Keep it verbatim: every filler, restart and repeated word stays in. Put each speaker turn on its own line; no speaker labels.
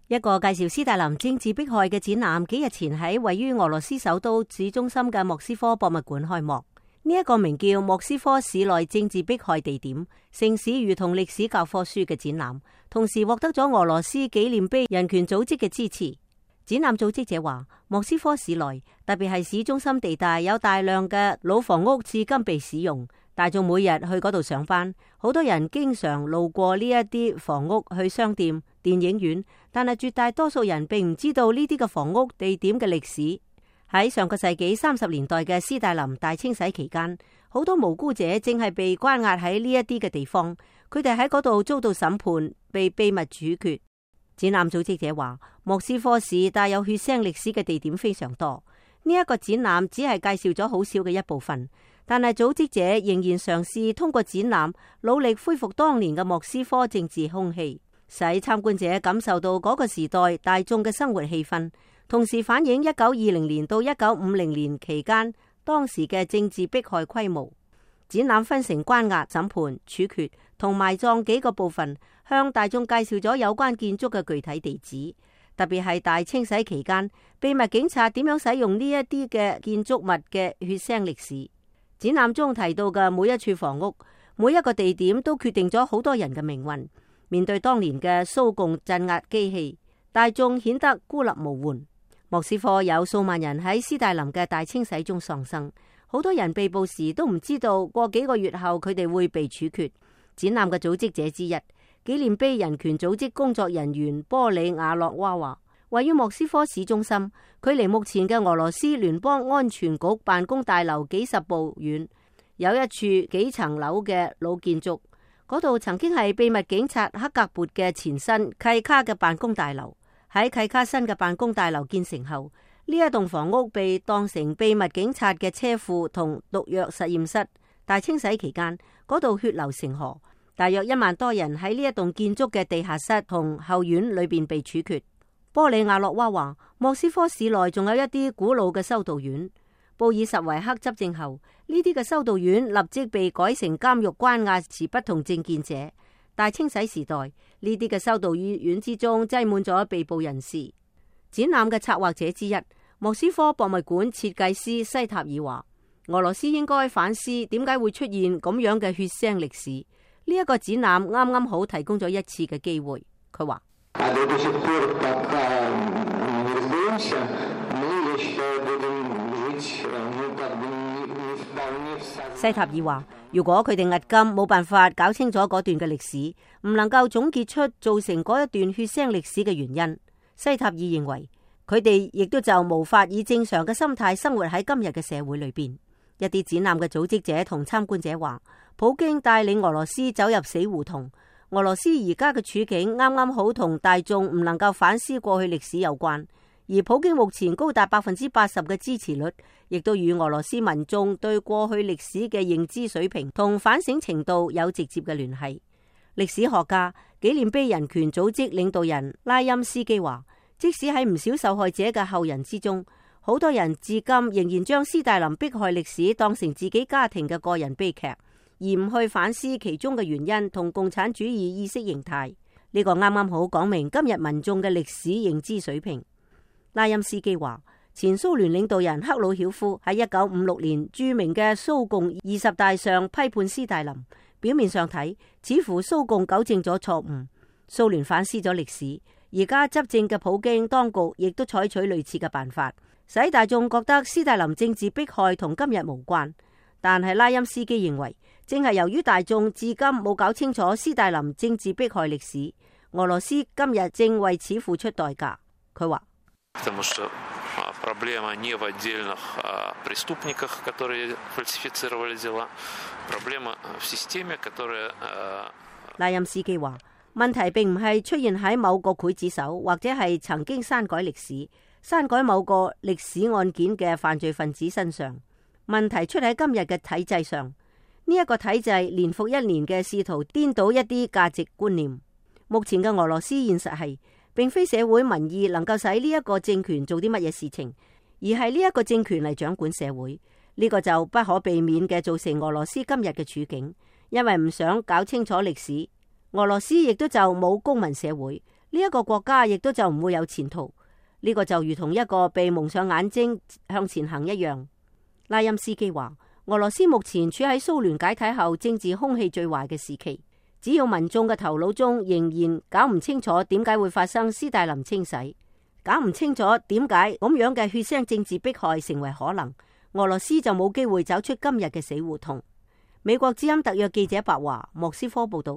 一個介紹斯大林政治迫害嘅展覽，幾日前喺位於俄羅斯首都市中心嘅莫斯科博物館開幕。呢、這、一個名叫莫斯科市內政治迫害地點，城市如同歷史教科書嘅展覽，同時獲得咗俄羅斯紀念碑人權組織嘅支持。展覽組織者話，莫斯科市內，特別係市中心地帶，有大量嘅老房屋至今被使用，大眾每日去嗰度上班，好多人經常路過呢一啲房屋去商店、電影院，但係絕大多數人並唔知道呢啲嘅房屋地點嘅歷史。喺上個世紀三十年代嘅斯大林大清洗期間，好多無辜者正係被關押喺呢一啲嘅地方，佢哋喺嗰度遭到審判，被秘密處決。展覽組織者話，莫斯科市帶有血腥歷史嘅地點非常多。呢、這、一個展覽只係介紹咗好少嘅一部分，但係組織者仍然嘗試通過展覽努力恢復當年嘅莫斯科政治空氣，使參觀者感受到嗰個時代大眾嘅生活氣氛，同時反映一九二零年到一九五零年期間當時嘅政治迫害規模。展覽分成關押、審判、處決同埋葬幾個部分，向大眾介紹咗有關建築嘅具體地址，特別係大清洗期間秘密警察點樣使用呢一啲嘅建築物嘅血腥歷史。展覽中提到嘅每一處房屋、每一個地點都決定咗好多人嘅命運。面對當年嘅蘇共鎮壓機器，大眾顯得孤立無援。莫斯科有數萬人喺斯大林嘅大清洗中喪生，好多人被捕時都唔知道過幾個月後佢哋會被處決。展覽嘅組織者之一，紀念碑人權組織工作人員波里亞洛娃話，位於莫斯科市中心，距離目前嘅俄羅斯聯邦安全局辦公大樓幾十步遠，有一處幾層樓嘅老建築，嗰度曾經係秘密警察克格勃嘅前身契卡嘅辦公大樓。喺契卡新嘅辦公大樓建成後，呢一棟房屋被當成秘密警察嘅車庫同毒藥實驗室。大清洗期間，嗰度血流成河，大約一萬多人喺呢一棟建築嘅地下室同後院裏邊被處決。波里亞洛娃話，莫斯科市內仲有一啲古老嘅修道院。布爾什維克執政後，呢啲嘅修道院立即被改成監獄，關押持不同政見者。大清洗時代，呢啲嘅修道院之中擠滿咗被捕人士。展覽嘅策劃者之一，莫斯科博物館設計師西塔爾話，俄羅斯應該反思點解會出現咁樣嘅血腥歷史。呢、這、一個展覽啱啱好提供咗一次嘅機會。佢話，西塔爾話，如果佢哋押金冇辦法搞清楚嗰段嘅歷史，唔能夠總結出造成嗰一段血腥歷史嘅原因，西塔爾認為佢哋亦都就無法以正常嘅心態生活喺今日嘅社會裏邊。一啲展覽嘅組織者同參觀者話，普京帶領俄羅斯走入死胡同，俄羅斯而家嘅處境啱啱好同大眾唔能夠反思過去歷史有關。而普京目前高達百分之八十嘅支持率，亦都與俄羅斯民眾對過去歷史嘅認知水平同反省程度有直接嘅聯繫。歷史學家、紀念碑人權組織領導人拉欽斯基話，即使喺唔少受害者嘅後人之中，好多人至今仍然將斯大林迫害歷史當成自己家庭嘅個人悲劇，而唔去反思其中嘅原因同共產主義意識形態。呢、這個啱啱好講明今日民眾嘅歷史認知水平。拉欽斯基話，前蘇聯領導人赫魯曉夫喺一九五六年著名嘅蘇共二十大上批判斯大林，表面上睇似乎蘇共糾正咗錯誤，蘇聯反思咗歷史，而家執政嘅普京當局亦都採取類似嘅辦法，使大眾覺得斯大林政治迫害同今日無關。但係拉欽斯基認為，正係由於大眾至今冇搞清楚斯大林政治迫害歷史，俄羅斯今日正為此付出代價。佢話，Потому
что проблема не в отдельных преступниках, которые фальсифицировали дела. Проблема в системе, которая...
拉欽斯基話，問題並唔係出現喺某個劊子手，或者係曾經刪改歷史、刪改某個歷史案件嘅犯罪分子身上。問題出喺今日嘅體制上。呢、這、一個體制年復一年嘅試圖顛倒一啲價值觀念。目前嘅俄羅斯現實係，並非社會民意能夠使呢一個政權做啲乜嘢事情，而係呢一個政權嚟掌管社會。呢、這個就不可避免嘅造成俄羅斯今日嘅處境，因為唔想搞清楚歷史。俄羅斯亦都就冇公民社會，呢一個國家亦都就唔會有前途。呢個就如同一個被蒙上眼睛向前行一樣。拉欽斯基話，俄羅斯目前處喺蘇聯解體後政治空氣最壞嘅時期，只要民眾嘅頭腦中仍然搞唔清楚點解會發生斯大林清洗，搞唔清楚點解咁樣嘅血腥政治迫害成為可能，俄羅斯就冇機會走出今日嘅死胡同。美國之音特約記者白華，莫斯科報道。